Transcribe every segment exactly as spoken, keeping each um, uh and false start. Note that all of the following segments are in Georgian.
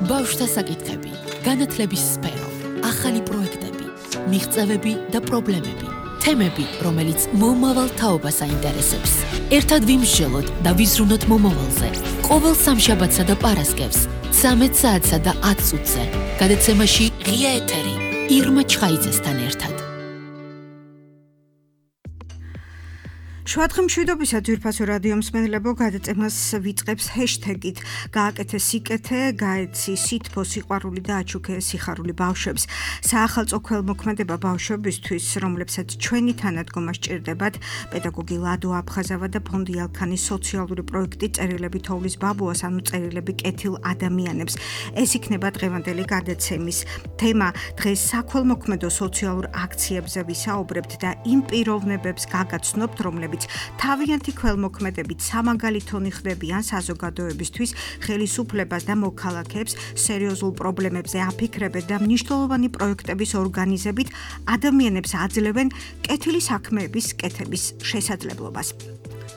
ბავშვთა საკითხები, განათლების სფერო, ახალი პროექტები, მიღწევები და პრობლემები, თემები, რომელიც მომავალ თაობას აინტერესებს. ერთად ვიმსჯელოთ და ვიზრუნოთ მომავალზე. ყოველ სამშაბათსა და პარასკევს, ცამეტ საათსა და ათ წუთზე, გადაცემაში ღია ეთერი, ირმა ჩხაიძესთან ერთად. შუადღე მშვიდობისა ძვირფასო რადიო მსმენელებო, გადაცემას ვიწყებს ჰეშტეგით გააკეთე სიკეთე, გაეცი სითბო, სიყვარული და აჩუქე სიხარული ბავშვებს. საახალწლო ქველმოქმედება ბავშვებისთვის, რომლებსაც ჩვენი თანადგომა სჭირდებათ, პედაგოგი ლადო აფხაზავა და ფონდი ალქანის სოციალური პროექტი წერილები თოვლის ბაბუას, ანუ წერილები კეთილ ადამიანებს. ეს იქნება დღევანდელი გადაცემის თემა. დღეს საქველმოქმედო სოციალურ აქციებზე ვისაუბრებთ და იმ პიროვნებებს გაგაცნობთ, რომლებიც თავიანთი ქველმოქმედებით სამაგალითონი ხდებიან საზოგადოებისთვის, ხელისუფლებას და მოქალაქეებს სერიოზულ პრობლემებზე აფიქრებენ და მნიშვნელოვანი პროექტების ორგანიზებით ადამიანებს აძლევენ კეთილი საქმეების კეთების შესაძლებლობას.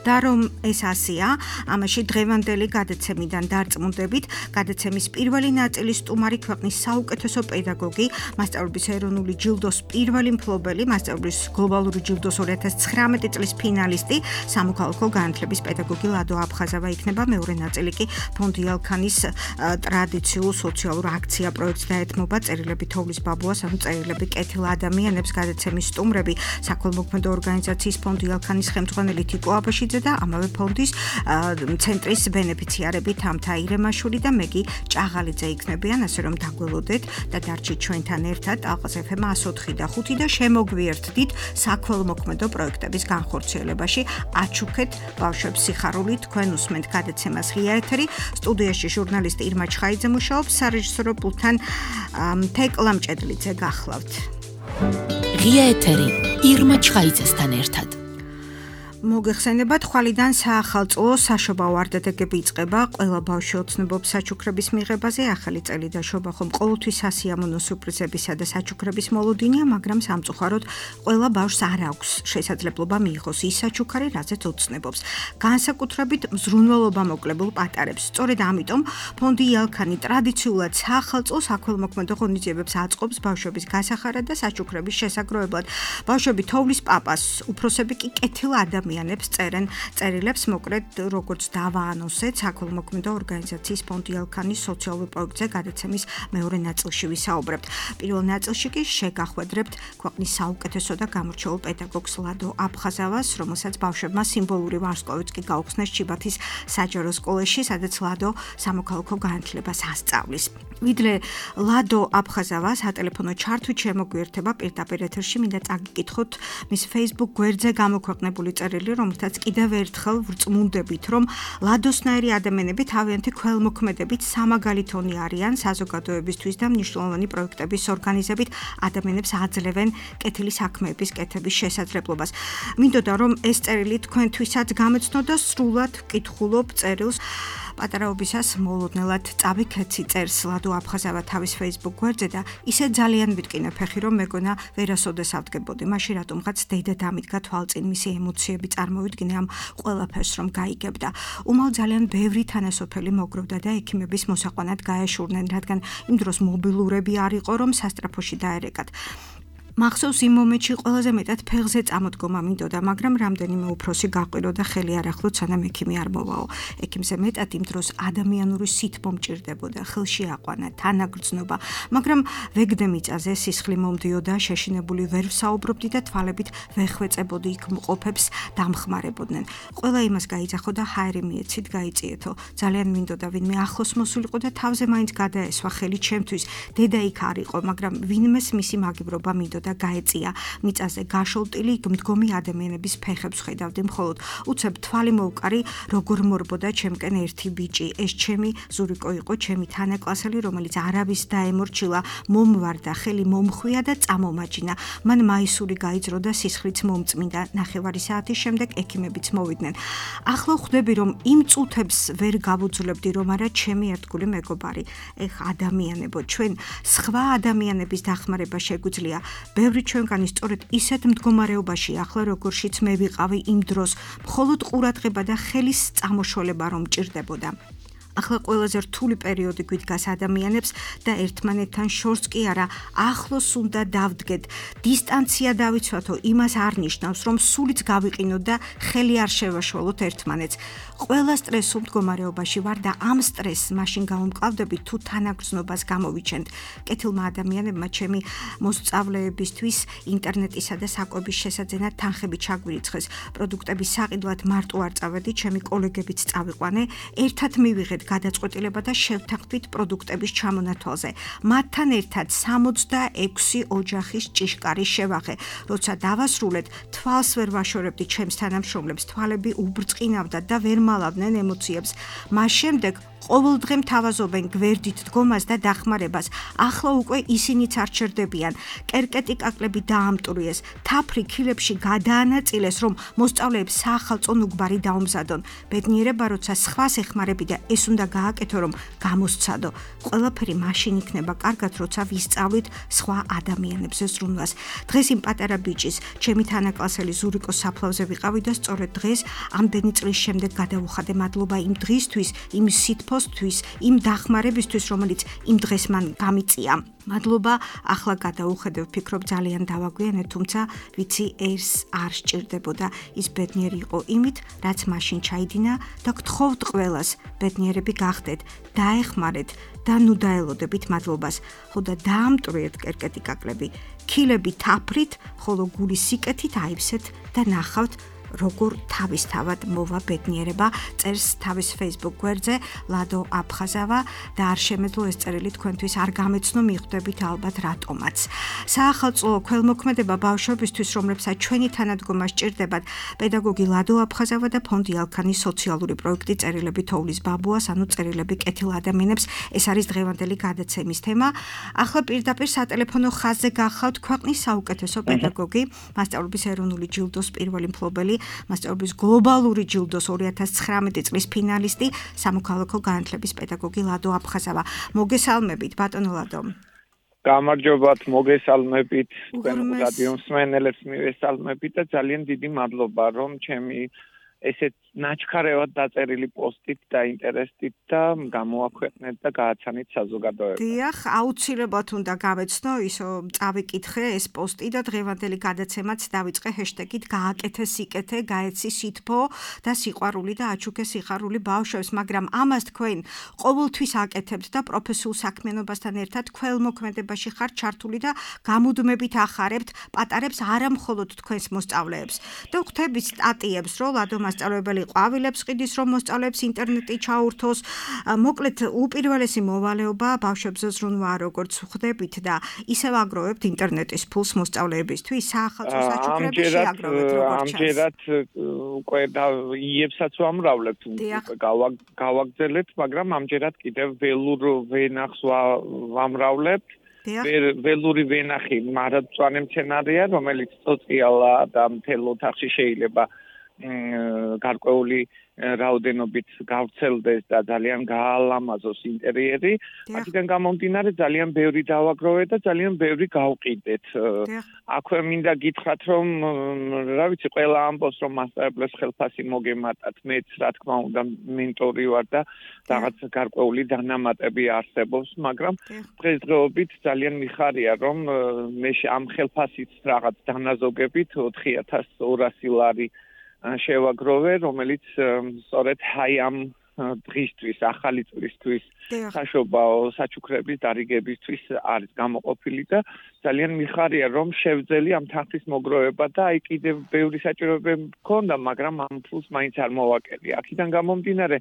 და რომ ეს ასეა, ამაში დღევანდელი გადაცემიდან დარწმუნდებით, გადაცემის პირველი ნაწილის სტუმარი ქვეყნის საუკეთესო პედაგოგი, მასწავლებლების ეროვნული ჯილდოს პირველი მფლობელი, მასწავლებლების გლობალური ჯილდოს ორი ათას ცხრამეტი წლის ფინალისტი, სამოქალაქო განათლების პედაგოგი ლადო აფხაზავა იქნება. მეორე ნაწილი კი ფონდი ალქანის ტრადიციულ სოციალურ აქცია პროექტს დაეთმობა წერილები თოვლის ბაბუას, ანუ წერილები კეთილ ადამიანებს. გადაცემის სტუმრები საქველმოქმედო ორგანიზაციის ფონდი ალქანის ხელმძღვანელი თიკო აბაშიძე და ამავე ფონდის ცენტრის ბენეფიციარები თამთა ირემაშვილი და მეგი ჭაღალიძე იქნებიან, ასე რომ დაგველოდეთ და დარჩით ჩვენთან ერთად ალყას ეფ ემ εκατო ოთხი და ხუთი და შემოგვიერთდით საქველმოქმედო პროექტების განხორციელებაში. აჩუქეთ ბავშვებს სიხარულით. თქვენ უსმენთ გადაცემას ღია ეთერი. სტუდიაში ჟურნალისტი ირმა ჩხაიძე მუშაობს, სარეჟისორო პულტთან თეკლა მჭედლიძე გახლავთ. ღია ეთერი ირმა ჩხაიძესთან ერთად. მოგეხსენებათ, ხვალიდან საახალწლო საშობაო არდადეგები იწყება ყველა ბავშვი ოცნებობს საჩუქრების მიღებაზე. ახალი წელი და შობა ხომ ყოველთვის სასიამოვნო სურპრიზებისა და საჩუქრების მოლოდინია, მაგრამ სამწუხაროდ ყველა ბავშვს არ აქვს შესაძლებლობა მიიღოს ის საჩუქარი, რაზეც ოცნებობს. განსაკუთრებით მზრუნველობა მოკლებულ პატარებს. სწორედ ამიტომ ფონდი ალქანი ტრადიციულად საახალწლო საქველმოქმედო ღონისძიებებს აწყობს ბავშვების გასახარად და საჩუქრების შესაგროვებლად. ბავშვები თოვლის პაპას, უფროსები კი კეთილ ადამიანებს წერენ წერილებს, მოკლედ როგორც დავაანონსეთ საქველმოქმედო ორგანიზაციის ფონდი ალქანის სოციალურ პროექტზე გადაცემის მეორე ნაწილში ვისაუბრებთ. პირველ ნაწილში კი შეგახვედრებთ ქვეყნის საუკეთესო და გამორჩეულ პედაგოგს ლადო აფხაზავას, რომელსაც ბავშვებმა სიმბოლური ვარსკვლავიც კი გაუხსნეს ჩიბათის საჯარო სკოლაში, სადაც ლადო სამოქალაქო განათლებას ასწავლის. ვიდრე ლადო აფხაზავა სატელეფონო ჩართვით შემოგვიერთება პირდაპირ ეთერში, მინდა წაგიკითხოთ მის Facebook გვერდზე გამოქვეყნებული წერილი, რომელთაც კიდევ ერთხელ ვრწმუნდებით, რომ ლადოსნაირი ადამიანები თავიანთი ქველმოქმედებით სამაგალითონი არიან საზოგადოებისთვის და მნიშვნელოვანი პროექტების ორგანიზებით ადამიანებს აძლევენ კეთილი საქმეების კეთების შესაძლებლობას. მინდოდა რომ ეს წერილი თქვენთვისაც გამეცნო და სრულად ვკითხულობ წერილს. პატარაობისას მოლოდნელად წავიქეცი წერს ლადო აფხაზავა თავის Facebook გვერდზე და ისე ძალიან ვიტკინე ფეხი, რომ მეგონა ვერასოდეს ავდგებოდი. მაშინ რატომღაც დედა დამიდგა თვალწინ, მისი ემოციები წარმოვიდგინე ამ ყველაფერს რომ გაიგებდა. უმალ ძალიან ბევრი თანასოფელი მოგროვდა და ექიმების მოსაყვანად გაეშურნენ, რადგან იმ დროს მობილურები არ იყო, რომ სასტრაფოში დაერეკათ. მახსოვს იმ მომენტში ყველაზე მეტად ფეხზე წამოდგომა მინდოდა, მაგრამ რამდენიმე უფროსი გაყვირო და ხელი არ ახლოთ, სანამ ექიმი არ მოვაო. ექიმზე მეტად იმ დროს ადამიანური სითბო მჭირდებოდა, ხელში აყვანა, თანაგრძნობა, მაგრამ ვეგდე მიწაზე სისხლი მომდიოდა, შეშინებული ვერ ვსაუბრობდი და თვალებით ვეხვეწებოდი იქ მყოფებს დამხმარებოდნენ. ყველა იმას გაიძახო და ჰაერი მიეცით, გაიწიეთო. ძალიან მინდოდა ვინმე ახლოს მოსულიყო და თავზე მაინც გადაესვა ხელი ჩემთვის. დედა იქ არ იყო, მაგრამ ვინმეს მისი მაგიბრობა მინდოდა და გაეწია. მიწაზე გაშოლტილი მდგომი ადამიანების ფეხებს ხედავდი, მხოლოდ უცებ თვალი მოვკარი, როგორ მორბოდა ჩემკენ ერთი ბიჭი. ეს ჩემი ზურიკო იყო, ჩემი თანაკლასელი, რომელიც არავის დაემორჩილა, მომვარდა, ხელი მომხვია და წამომაჯინა. მან მაისური გაიძრო და სისხლიც მომწმინდა. ნახევარი საათის შემდეგ ექიმებიც მოვიდნენ. ახლა ხვდები, რომ იმ წუთებს ვერ გავუძლებდი, რომ არა ჩემი ერთგული მეგობარი. ეხ ადამიანებო, ჩვენ სხვა ადამიანების დახმარება შეგვიძლია. ბევრი ჩვენგანი სწორედ ისეთ მდგომარეობაში ახლა როგორშიც მე ვიყავი იმ დროს, მხოლოდ ყურადღება და ხელის წამოშოლება რომ მჭირდებოდა. ახლა ყველაზე რთული პერიოდი გვიდგას ადამიანებს და ერთმანეთთან შორს კი არა, ახლოს უნდა დავდგეთ. დისტანცია დავიცვათო, იმას არ ნიშნავს, რომ სულიც გავიყინოთ და ხელი არ შევაშველოთ ერთმანეთს. ყველა სტრესულ მდგომარეობაში ვარ და ამ სტრესს მაშინ გავუმკლავდებით თუ თანაგრძნობას გამოვიჩენთ. კეთილმა ადამიანებმა ჩემი მოსწავლეებისთვის ინტერნეტისა და საკვების შესაძენად თანხები ჩაგვირიცხეს. პროდუქტების საყიდლად მარტო არ წავედი, ჩემი კოლეგებიც წავიყვანე, ერთად მივიღეთ გადაწყვეტილება და შევთანხმდით პროდუქტების ჩამონათვალზე. მათთან ერთად სამოცდაექვსი ოჯახის ჭიშკარი შევაღე. როცა დავასრულეთ, თვალს ვერ ვაშორებდი ჩემს თანამშრომლებს, თვალები უბრწყინავდა და ვერ მალავდნენ ემოციებს. მას შემდეგ ყოველდღე მთავაზობენ გვერდით დგომას და დახმარებას. ახლა უკვე ისინიც არ ჩერდებიან. კერკეტი კაკლები დაამტვრიეს, თაფრი ქილებში გადაანაწილეს, რომ მოსწავლეებს საახალწლო ნუგბარი დაუმზადონ. ბედნიერება, როცა სხვას ეხმარები და ეს უნდა გააკეთო, რომ გამოსცადო. ყველაფერი მაშინ იქნება კარგად, როცა ვისწავლით სხვა ადამიანებზე ზრუნვას. დღეს იმ პატარა ბიჭის, ჩემი თანაკლასელი ზურიკოს საფლავზე ვიყავი და სწორედ დღეს, ამდენი წლის შემდეგ გადავუხადე მადლობა იმ დღისთვის, იმ სითბოს იმ დახმარებისთვის, რომელიც იმ დღეს მან გამიწია. მადლობა, ახლა გადავუხედე, ვფიქრობ ძალიან დავაგვიანე, თუმცა ვიცი ეს არ სჭირდებოდა. ის ბედნიერი იყო იმით, რაც მაშინ ჩაიდინა და გთხოვთ ყველას, ბედნიერები გახდეთ, დაეხმარეთ და ნუ დაელოდებით მადლობას. ხო და დაამტვრიეთ კერკეტი კაკლები, ქილები თაფრით, ხოლო გული სიკეთით აივსეთ და ნახავთ როგორ თავისთავად მოვა ბედნიერება. წერს თავის Facebook გვერდზე ლადო აფხაზავა და არ შემეძლო ეს წერილი თქვენთვის არ გამეცნო, მიხვდებით ალბათ რატომაც. საახალწლო ქველმოქმედება ბავშვებისთვის, რომლებსაც ჩვენი თანადგომა სჭირდებათ, პედაგოგი ლადო აფხაზავა და ფონდი ალქანის სოციალური პროექტი წერილები თოვლის ბაბუას, ანუ წერილები კეთილ ადამიანებს. ეს არის დღევანდელი გადაცემის თემა. ახლა პირდაპირ სატელეფონო ხაზზე გახავთ ქვეყნის საუკეთესო პედაგოგი, მასწავლებლების ეროვნული ჯილდოს პირველი მფლობელი, მასწავლებლების გლობალური ჯილდოს ორი ათას ცხრამეტი წლის ფინალისტი, სამოქალაქო განათლების პედაგოგი ლადო აფხაზავა. მოგესალმებით, ბატონო ლადო. გამარჯობათ, მოგესალმებით, თქვენ რადიო მსმენელებს მივესალმებით და ძალიან დიდი მადლობა, რომ ჩემი ესეთ ნაჩქარევად დაწერილი პოსტით და ინტერესით და გამოაქვეყნეთ და გააცანით საზოგადოებას. დიახ, აუცილებლად უნდა გავეცნო, ისო წავიკითხე ეს პოსტი და დღევანდელი გადაცემაც დავიწყე ჰეშტეგით გააკეთე სიკეთე, გაეცი სითბო და სიყვარული და აჩუქე სიხარული ბავშვებს, მაგრამ ამას თქვენ ყოველთვის აკეთებთ და პროფესიულ საქმიანობასთან ერთად ქველმოქმედებაში ხართ ჩართული და გამუდმებით ახარებთ პატარებს არა მხოლოდ თქვენს მოსწავლეებს. და ხვდებით სტატიებს, რომ ლადო მასწავლებელი ყვავილებს ყიდის, რომ მოსწავლეებს ინტერნეტი ჩაურთოს. მოკლედ, უპირველესი მოვალეობა ბავშვებზე ზრუნვა, როგორც ხვდებით და ისევ აგროვებთ ინტერნეტის ფულს მოსწავლეებისთვის. საახალწლო საჩუქრები შეაგროვეთ, როგორც ჩანს. ამჯერად უკვე იებსაც ვამრავლებთ, გავაგრძელებთ, მაგრამ ამჯერად კიდევ ველურ ვენახს ვამრავლებთ. ველური ვენახი მარადმწვანე მცენარეა, რომელიც წოწიალა და მთელ ოთახში შეიძლება გარკვეული რაოდენობით გავრცელდეს და ძალიან გაალამაზოს ინტერიერი. აქედან გამომდინარე ძალიან ბევრი დავაგროვე და ძალიან ბევრი გავყიდეთ. აქვე მინდა გითხრათ, რომ რა ვიცი, ყველა ამბობს, რომ მასწავლებლებს ხელფასი მოგემატათ, მეც რა თქმა უნდა მენტორი ვარ და რაღაც გარკვეული დანამატები არსებობს, მაგრამ დღესდღეობით ძალიან მიხარია, რომ მე ამ ხელფასით რაღაც დანაზოგებით ოთხი ათას ორასი ლარი შევაგროვე, რომელიც სწორედ აი ამ დღისთვის, ახალი წლისთვის, საშობაო საჩუქრების დარიგებისთვის არის გამოყოფილი და ძალიან მიხარია, რომ შევძელი ამ თანხის მოგროვება და აი კიდევ ბევრი საჭიროებები მქონდა, მაგრამ ამ ფულს მაინც არ მოვაკელი. აქედან გამომდინარე,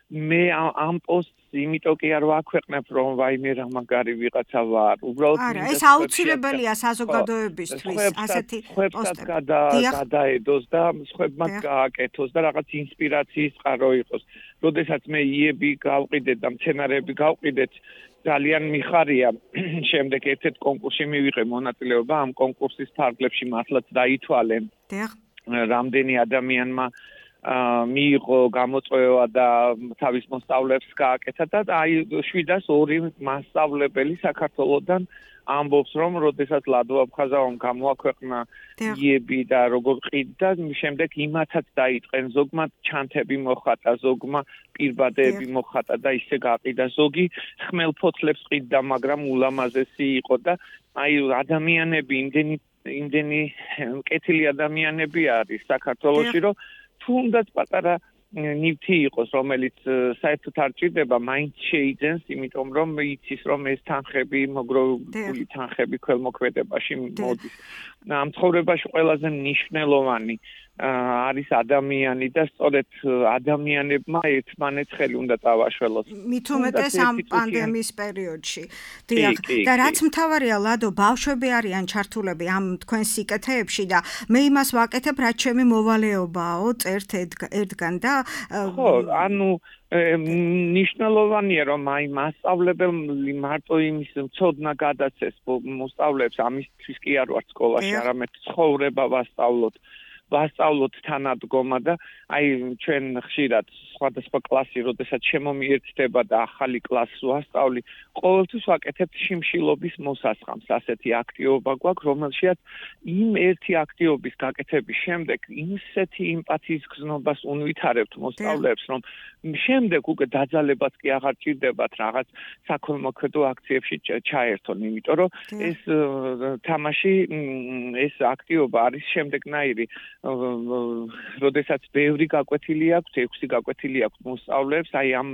მე ამ პოსტს იმიტომ კი არ ვაქვეყნებ, რომ ვაიმე რა მაგარი ვიღაცა ვარ. უბრალოდ არა, ეს აუცილებელია საზოგადოებისთვის, ასეთი პოსტები. გადაედოს და სხვებმაც გააკეთოს და რაღაც ინსპირაციის წყარო იყოს. როდესაც მე იები გავყიდეთ და მცენარეები გავყიდეთ, ძალიან მიხარია. შემდეგ ერთ-ერთ კონკურსში მივიღე მონაწილეობა, ამ კონკურსის ფარგლებში მართლაც დაითვალე. რამდენი ადამიანმა მიიღო გამოწვევა და თავის მოსწავლეებს გააკეთა და აი შვიდას ორი მასწავლებელი საქართველოსდან ამბობს რომ როდესაც ლადო აფხაზავამ გამოაქვეყნა იები და როგორ ყიდდა შემდეგ იმათაც დაიწყენ ზოგმა ჩანთები მოხატა ზოგმა პირბადეები მოხატა და ისე გაყიდა ზოგი ხმელფოთლებს ყიდდა მაგრამ ულამაზესი იყო და აი ადამიანები იმდენი იმდენი კეთილი ადამიანები არის საქართველოში რომ თუნდაც პატარა ნივთი იყოს რომელიც საერთოდ არ ჭირდება მაინც შეიძენს იმიტომ რომ იცის რომ ეს თანხები მოგროვებული თანხები ქველმოქმედებაში მოდის ამ ცხოვრებაში ყველაზე მნიშვნელოვანი არის ადამიანი და სწორედ ადამიანებმა ერთმანეთს ხელი უნდა წავაშველოს. მით უმეტეს ამ პანდემიის პერიოდში. დიახ, და რაც მთავარია ლადო, ბავშვები არიან ჩართულები ამ თქვენ სიკეთეებში და მე იმას ვაკეთებ, რაც ჩემი მოვალეობაო, წერთ ერთგან და ხო, ანუ ნიშნულოვანია რომ აი მასწავლებელი მარტო იმის ცოდნა გადაცეს მოსწავლეებს ამისთვის კი არ ვარ სკოლაში, არამედ ცხოვრება ვასწავლოთ. ვასწავლოთ თანადგომა და აი ჩვენ ხშირად სხვადასხვა კლასი, როდესაც შემომიერთდება და ახალი კლასს ვასწავლი, ყოველთვის ვაკეთებ შიმშილობის მოსასხამს, ასეთი აქტივობა გვაქვს, რომელშიაც იმ ერთი აქტივობის გაკეთების შემდეგ ისეთი იმპათიის გზნობას უნვითარებთ მოსწავლეებს, რომ შემდეგ უკვე დაძალებაც კი აღარ ჭირდებათ რაღაც საქველმოქმედო აქციებში ჩაერთონ, იმიტომ რომ ეს თამაში ეს აქტივობა არის შემდეგნაირი როდესაც ბევრი გაკვეთილი აქვს, ექვსი გაკვეთილი აქვს მოსწავლეებს, აი ამ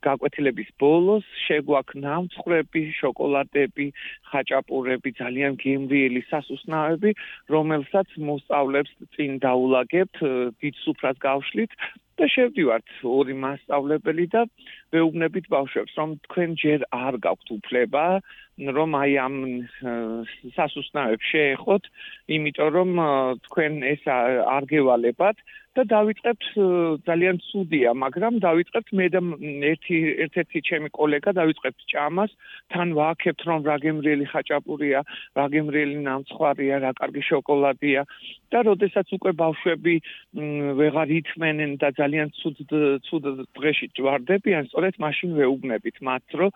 გაკვეთილების ბოლოს შეგვაქვს ნამცხრები, შოკოლადები, ხაჭაპურები, ძალიან გემრიელი სასუსნაები, რომელსაც მოსწავლეებს წინ დაულაგებთ, დიდ სუფრას გავშლით და შევდივართ ორი მასწავლებელი და ვეუბნებით ბავშვებს, რომ თქვენ ჯერ არ გაქვთ უფლება, რომ აი ამ სასუსნაებს შეეხოთ, იმიტომ რომ თქვენ ეს არ გევალებათ და დავიწყებთ ძალიან ცუდია, მაგრამ დავიწყებთ მე და ერთი ერთ-ერთი ჩემი კოლეგა დავიწყებთ ჭამას, თან ვააქებთ რომ რა გემრიელი ხაჭაპურია, რა გემრიელი ნამცხვარია, რა კარგი შოკოლადია და როდესაც უკვე ბავშვები ვეღარ ითმენენ და ძალიან ცუდ ცუდ დღეში ჯვარდებიან, სწორედ მაშინ ვეუბნებით მათ, რომ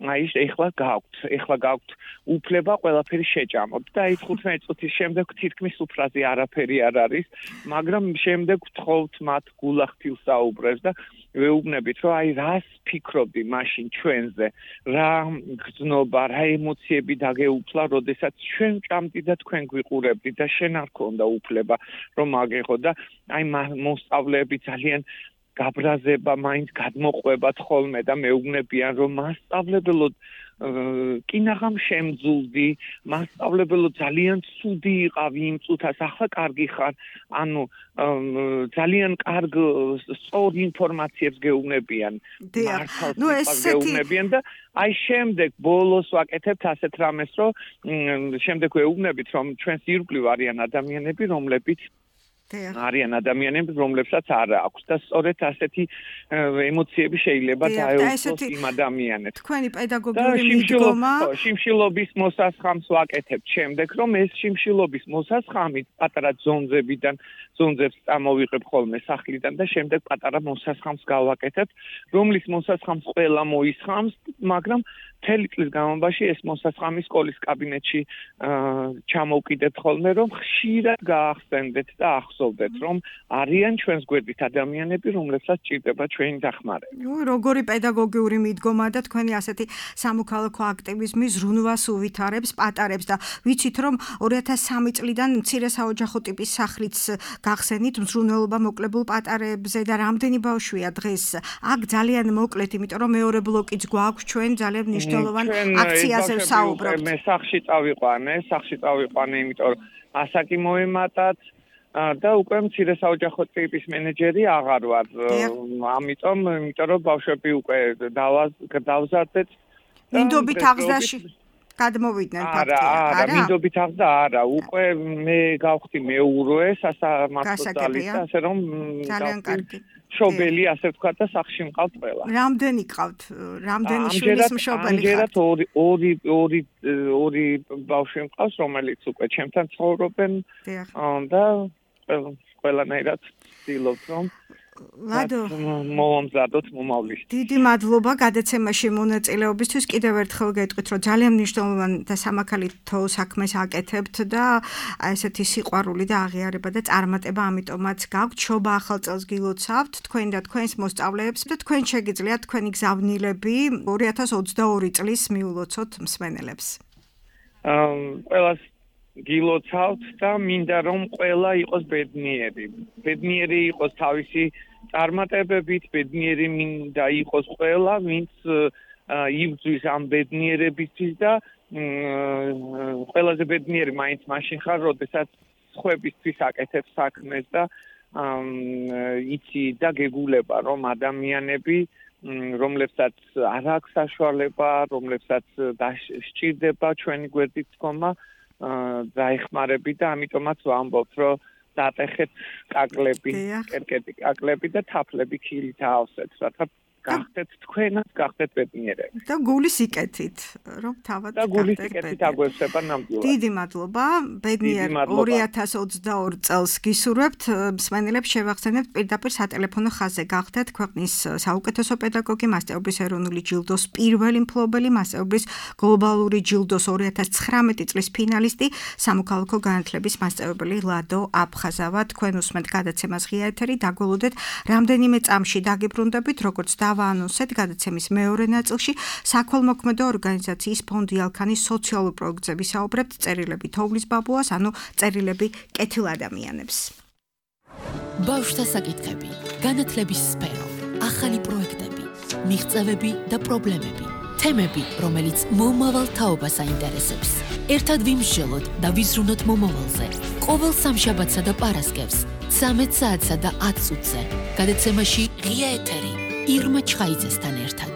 აი ეხლა გაქვთ, ეხლა გაქვთ უფლება ყველაფერი შეჭამოთ და აი თხუთმეტი წუთის შემდეგ თითქმის უფრაზე არაფერი არ არის, მაგრამ შემდეგ ვთხოვთ მათ გულახდილს საუბრებს და ვეუბნებით, რომ აი რას ფიქრობდი მაშინ ჩვენზე, რა გრძნობა, რა ემოციები დაგეუფლა, როდესაც ჩვენ ჭამდი და თქვენ გვიყურებდით და შენ არ ქონდა უფლება რომ აგეხო და აი მოსწავლეები ძალიან გაბრაზება მაინც გადმოყვებათ ხოლმე და მეუბნებიან რომ მასწავლებელო კინაღამ შემძულდი, მასწავლებელო ძალიან ცუდი იყავი იმ წუთას, ახლა კარგი ხარ, ანუ ძალიან კარგ სწორ ინფორმაციებს გეუბნებიან, მართალს გეუბნებიან და აი შემდეგ ბოლოს ვაკეთებთ ასეთ რამეს, რომ შემდეგ ვეუბნებით, რომ ჩვენს ირგვლივ არიან ადამიანები, რომლებიც არიან ადამიანები, რომლებსაც არ აქვს და სწორედ ასეთი ემოციები შეიძლება დაეუფლოს იმ ადამიანებს. თქვენი პედაგოგიური მიდგომა შიმშილობის მოსასხამს ვაკეთებთ შემდეგ, რომ ეს შიმშილობის მოსასხამი პატარა ძონძებიდან ძონძებს წამოვიღებ ხოლმე სახლიდან და შემდეგ პატარა მოსასხამს გავაკეთებთ, რომლის მოსასხამს ყველა მოისხამს, მაგრამ მთელი წლის განმავლობაში ეს მოსასხამი სკოლის კაბინეტში ჩამოვკიდებთ ხოლმე, რომ ხშირად გაახსენდეთ და ახსოვდეთ, რომ არიან ჩვენს გვერდით ადამიანები, რომლებსაც ჭირდება ჩვენი დახმარება. ნუ როგორი პედაგოგიური მიდგომა და თქვენი ასეთი სამოქალაქო აქტივიზმი ზრუნვას უვითარებს, პატარებს და ვიცით, რომ ორი ათას სამი წლიდან მცირე საოჯახო ტიპის სახლიც გახსენით მზრუნველობა მოკლებულ პატარებზე და რამდენი ბავშვია დღეს? აქ ძალიან მოკლედ, იმიტომ რომ მეორე ბლოკიც გვაქვს ჩვენ ძალიან მნიშვნელოვან აქციაზე ვსაუბრობთ. მე სახლში წავიყვანე, სახლში წავიყვანე, იმიტომ რომ ასაკი მოემატათ და უკვე მცირე საოჯახო ტიპის მენეჯერი აღარ ვარ. ამიტომ, იმიტომ რომ ბავშვები უკვე დავზარდეთ. მინდობით აღზრდაში გადმოვიდნენ ფაქტია, არა? არა, მინდობით აღზრდა არა, უკვე მე გავხდი მეურვე სასამართლო ძალით, ასე რომ ძალიან კარგი. მშობელი, ასე ვთქვათ და სახლში მყავთ ყველა. რამდენი ყავთ? რამდენი შვილის მშობელი ხართ? ამჯერად ორი ორი ორი ორი ბავშვი მყავს, რომელიც უკვე ჩემთან ცხოვრობენ და ყველანაირად ვცდილობთ რომ ლადო მომამზადოთ მომავლის. დიდი მადლობა გადაცემაში მონაწილეობისთვის. კიდევ ერთხელ გეტყვით, რომ ძალიან მნიშვნელოვანი და სამაქალითო საქმეს აკეთებთ და ესეთი სიყვარული და აღიარება და წარმატება ამიტომაც გაქვთ. შობა ახალ წელს გილოცავთ თქვენ და თქვენს მოსწავლეებს და თქვენ შეგიძლიათ თქვენი გზავნილები ორი ათას ოცდაორი წლის მიულოცოთ მსმენელებს. ყველას გილოცავთ და მინდა რომ ყველა იყოს ბედნიერი. ბედნიერი იყოს თავისი წარმატებებით, ბედნიერი მინდა იყოს ყველა, ვინც იბრძვის ამ ბედნიერებისთვის და ყველაზე ბედნიერი მაინც მაშინ ხარ, როდესაც სხვებისთვის აკეთებ საქმეს და იცი და გეგულება რომ ადამიანები რომლებსაც არ აქვს საშუალება, რომლებსაც სჭირდება ჩვენი გვერდით დგომა დაეხმარები და ამიტომაც ვამბობთ, რომ დატეხეთ კაკლები, კერკეტი კაკლები და თაფლები ქილით აავსეთ, რათა გახდეთ თქვენაც, გახდეთ ბედნიერები. და გულის იკეთით, რომ თავად და გულის იკეთით აგვევსება ნამდვილად. დიდი მადლობა, ბედნიერ ორი ათას ოცდაორი წელს გისურვებთ, მსმენელებს შევახსენებთ პირდაპირ სატელეფონო ხაზზე გახდეთ ქვეყნის საუკეთესო პედაგოგი, მასწავლებლის ეროვნული ჯილდოს პირველი მფლობელი, მასწავლებლის გლობალური ჯილდოს ორი ათას ცხრამეტი წლის ფინალისტი, სამოქალაქო განათლების მასწავლებელი ლადო აფხაზავა. თქვენ უსმენთ გადაცემას ღია ეთერი, დაგველოდეთ რამდენიმე წამში დაგიბრუნდებით, როგორც დავაანონსეთ გადაცემის მეორე ნაწილში საქველმოქმედო ორგანიზაციის ფონდი ალქანის სოციალურ პროექტზე ვისაუბრებთ წერილები თოვლის ბაბუას, ანუ წერილები კეთილ ადამიანებს. ბავშვთა საკითხები, განათლების სფერო, ახალი პროექტები, მიღწევები და პრობლემები, თემები, რომელიც მომავალ თაობას აინტერესებს. ერთად ვიმსჯელოთ და ვიზრუნოთ მომავალზე. ყოველ სამშაბათსა და პარასკევს, ცამეტ საათსა და ათ წუთზე. გადაცემაში ღია ეთერი ირმა ჩხაიძესთან ერთად.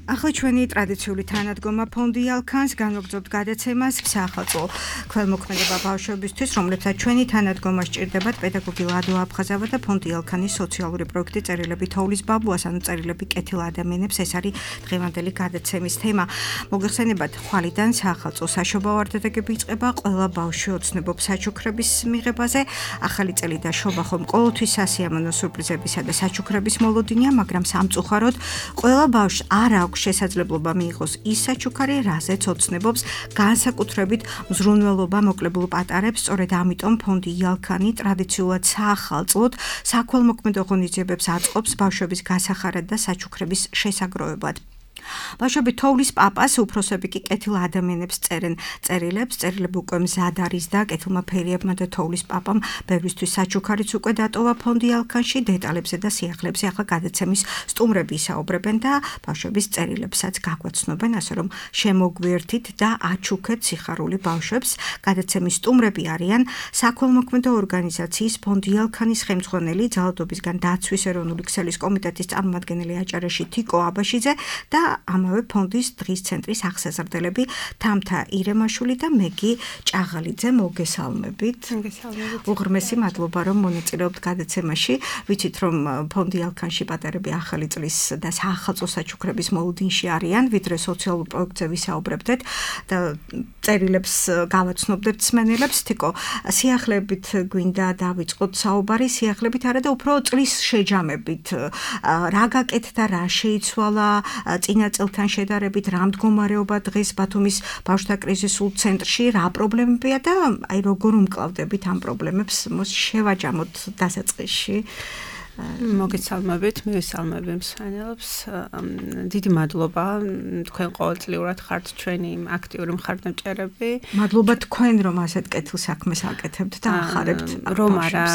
ახლა ჩვენი ტრადიციული თანადგომა ფონდი ალქანს განვაგრძობთ გადაცემას საახალწლო ქველმოქმედება ბავშვებისთვის, რომლებსაც ჩვენი თანადგომა სჭირდებათ პედაგოგი ლადო აფხაზავა და ფონდი ალქანის სოციალური პროექტი წერილები თოვლის ბაბუას, ანუ წერილები კეთილ ადამიანებს. ეს არის დღევანდელი გადაცემის თემა. მოგეხსენებათ, ხვალიდან საახალწლო საშობაო არდადეგები იწყება, ყველა ბავშვი ოცნებობს საჩუქრების მიღებაზე. ახალი წელი და შობა ხომ ყოველთვის სასიამოვნო სურპრიზებისა და საჩუქრების მოლოდინია, მაგრამ სამწუხაროდ ყველა ბავშვს არ აქვს შესაძლებლობა მიიღოს ის საჩუქარი, რაზეც ოცნებობს განსაკუთრებით მზრუნველობა მოკლებულ პატარებს. სწორედ ამიტომ ფონდი ალქანი ტრადიციულად საახალწლოდ საქველმოქმედო ღონისძიებებს აწყობს ბავშვების გასახარად და საჩუქრების შესაგროვებლად. ბავშვები თოვლის პაპას, უფროსები კი კეთილ ადამიანებს წერენ წერილებს. წერილები უკვე მზად არის და კეთილმა ფერიებმა და თოვლის პაპამ ბევრისთვის საჩუქარიც უკვე დატოვა ფონდი ალქანში. დეტალებზე და სიახლეებზე ახლა გადაცემის სტუმრები ისაუბრებენ და ბავშვების წერილებსაც გაგვაცნობენ, ასე რომ შემოგვიერთით და აჩუქეთ სიხარული ბავშვებს. გადაცემის სტუმრები არიან საქველმოქმედო ორგანიზაციის ფონდი ალქანის ხელმძღვანელი, ძალადობისგან დაცვის ეროვნული ქსელის კომიტეტის წარმომადგენელი აჭარეში თიკო აბაშიძე და ამავე ფონდის დღის ცენტრის აღსაზრდელები თამთა ირემაშვილი და მეგი ჭაღალიძე. მოგესალმებით. მოგესალმებით. უღრმესი მადლობა რომ მონაწილეობთ გადაცემაში. ვიცით რომ ფონდი ალქანში პატარები ახალი წლის და საახალწლო საჩუქრების მოლოდინში არიან, ვიდრე სოციალურ პროექტზე ვისაუბრებდეთ და წერილებს გავაცნობდებთ მსმენელებს. თიკო, სიახლეებით გვინდა დავიწყოთ საუბარი, სიახლებით არა და უფრო წლის შეჯამებით. რა გაკეთდა, რა შეიცვალა წინა წელთან შედარებით, რა მდგომარეობა დღეს ბათუმის ბავშვთა კრიზისულ ცენტრში, რა პრობლემებია და აი როგორ უმკლავდებით ამ პრობლემებს, შევაჯამოთ დასაწყისში. მოგესალმებით, მივესალმები მსმენელებს. დიდი მადლობა, თქვენ ყოველწლიურად ხართ ჩვენი აქტიური მხარდამჭერები. მადლობა თქვენ რომ ასეთ კეთილ საქმეს აკეთებთ და ახარებთ რომ არა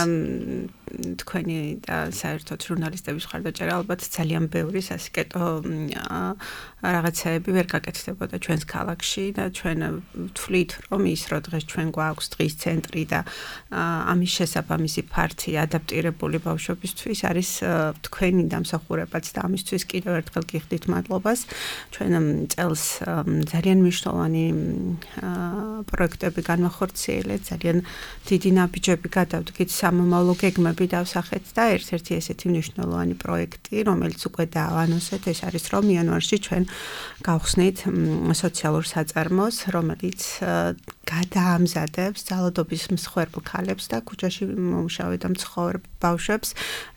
თქვენი და საერთოდ ჟურნალისტების მხარდაჭერა ალბათ ძალიან ბევრი სასიკეთო რაღაცები ვერ გაკეთდებოდა ჩვენს ქალაქში და ჩვენ ვთვლით რომ ის რომ დღეს ჩვენ გვაქვს დღის ცენტრი და ამის შესაბამისი ფართი ადაპტირებული ბავშვებისთვის არის თქვენი დამსახურებაც და ამისთვის კიდევ ერთხელ გიხდით მადლობას. ჩვენ წელს ძალიან მნიშვნელოვანი პროექტები განვახორციელეთ, ძალიან დიდი ნაბიჯები გადავდგით, სამომავლო გეგმები ბავშვები დავსახეთ და ერთ-ერთი ესეთი მნიშვნელოვანი პროექტი, რომელიც უკვე დავანონსეთ, ეს არის რომ იანვარში ჩვენ გავხსნით სოციალურ საწარმოს, რომელიც გადაამზადებს ძალადობის მსხვერპლ ქალებს და ქუჩაში მომუშავე და მცხოვრ ბავშვებს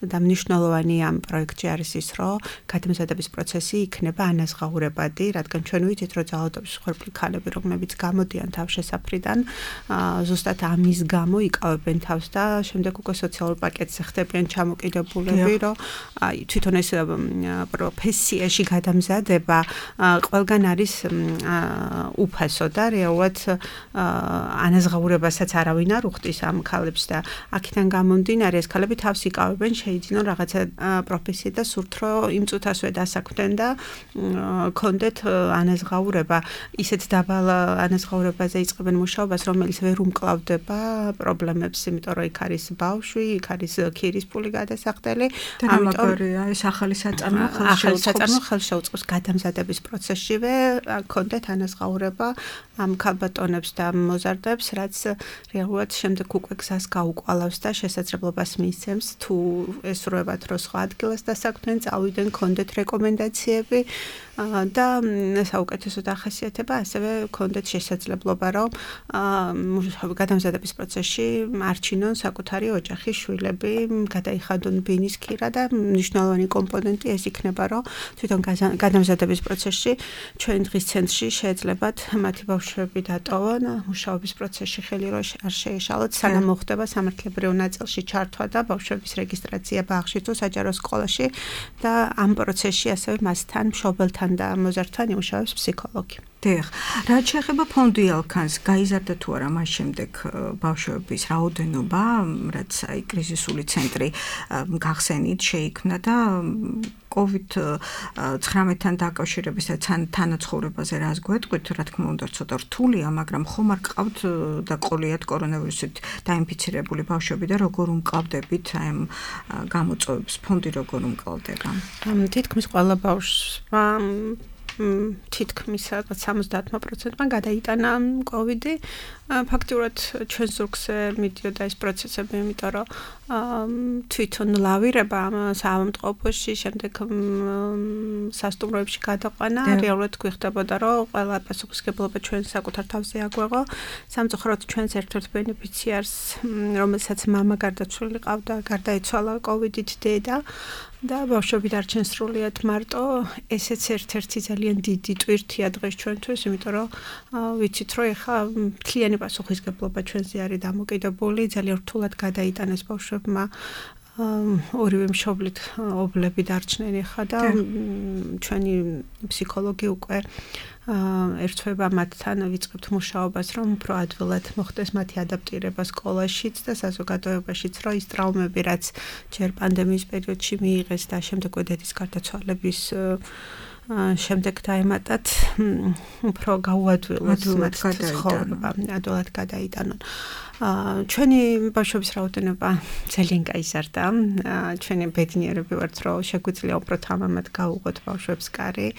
და მნიშვნელოვანი ამ პროექტში არის ის, რომ გადამზადების პროცესი იქნება ანაზღაურებადი, რადგან ჩვენ ვიცით, რომ ძალადობის მსხვერპლი ქალები, რომლებიც გამოდიან თავშესაფრიდან, ზუსტად ამის გამო იკავებენ თავს და შემდეგ უკვე სოციალურ პაკეტზე ხდებიან ჩამოკიდებულები, რომ აი თვითონ ეს პროფესიაში გადამზადება ყველგან არის უფასო და რეალურად ანაზღაურებასაც არავინ არ უხდის ამ ქალებს და აქედან გამომდინარე ეს ქალები თავს იკავებენ, შეიძინონ რაღაცა პროფესია და სურთ რომ იმ წუთასვე დასაქმდნენ და კონდეთ ანაზღაურება, ისეთ დაბალ ანაზღაურებაზე იწყებენ მუშაობას, რომელიც ვერ უმკლავდება პრობლემებს, იმიტომ რომ იქ არის ბავშვი, იქ არის ქირის ფული გადასახდელი, ამიტომ ეს ახალი საწარმო ხელშეუწყობს გადამზადების პროცესშივე კონდეთ ანაზღაურება ამ ქალბატონებს და მოზარდებს, რაც რეალურად შემდეგ უკვე გზას გაუყვალავს და შესაძლებლობას მისცემს თუ ესურვებათ რომ სხვა ადგილას დასაქმდნენ, წავიდნენ, კონდეთ რეკომენდაციები და საუკეთესო დახასიათება, ასევე კონდეთ შესაძლებლობა რომ გადამზადების პროცესში არჩინონ საკუთარი ოჯახი, შვილები, გადაიხადონ ბინის ქირა და მნიშვნელოვანი კომპონენტი ეს იქნება, რომ თვითონ გადამზადების პროცესში ჩვენ დღის ცენტრში შეეძლებათ მათი ბავშვები დატოვონ, მუშაობის პროცესში ხელი რო არ შეეშალოთ, სანამ მოხდება სამართლებრივ ნაწილში ჩართვა და ბავშვების რეგისტრაცია ბაღში თუ საჯარო სკოლაში და ამ პროცესში ასევე მასთან, მშობელთან და მოზარდთან იმუშავებს ფსიქოლოგი. დიახ, რაც შეეხება ფონდი ალქანს, გაიზარდა თუ არა მას შემდეგ ბავშვების რაოდენობა, რაც აი კრიზისული ცენტრი გახსენით შეიქმნა და კოვიდ ცხრამეტთან დაკავშირების თანაცხოვრებაზე რას გვეტყვით, რა თქმა უნდა, ცოტა რთულია, მაგრამ ხომ არ გყავთ და ყოლიათ კორონავირუსით დაინფიცირებული ბავშვები და როგორ უმკლავდებით აი ამ გამოწვევებს, ფონდი როგორ უმკლავდება? თითქმის ყველა ბავშვმა თითქმის სამოცდაათმა პროცენტმა გადაიტანა კოვიდი. ფაქტურად ჩვენ ზურგზე მიდიოდა ეს პროცესები, იმიტომ რომ თვითონ ლავირება საავადმყოფოში, შემდეგ სასტუმროებში გადაყვანა, რეალურად გვიხდებოდა, რომ ყველა პასუხისმგებლობა ჩვენ საკუთარ თავზე აგვეღო. სამწუხაროდ ჩვენს ერთ-ერთ ბენეფიციარს, რომელსაც მამა გარდაცვლილი ყავდა, გარდაიცვალა კოვიდით დედა. და ბავშვები დარჩენ სრულიად მარტო, ესეც ერთ-ერთი ძალიან დიდი ტვირთია დღეს ჩვენთვის, იმიტომ რომ ვიცით, რომ ეხლა მთლიანი პასუხისმგებლობა ჩვენზე არის დამოკიდებული, ძალიან რთულად გადაიტანეს ბავშვებმა ორივე მშობლით ობლები დარჩნენ ეხლა და ჩვენი ფსიქოლოგი უკვე ერთვება მათთან ვიწყებთ მუშაობას, რომ უფრო ადვილად მოხდეს მათი ადაპტირება სკოლაშიც და საზოგადოებაშიც, რომ ის ტრაუმები, რაც ჯერ პანდემიის პერიოდში მიიღეს და შემდეგ დედის გარდაცვალების შემდეგ დაემატათ, უფრო გაუადვილოს მათ ცხოვრება, ადვილად გადაიტანონ. ჩვენი ბავშვების რაოდენობა ძალიან გაიზარდა. ჩვენი ბედნიერები ვართ, რომ შეგვიძლია უფრო თამამად გავუღოთ ბავშვებს კარი.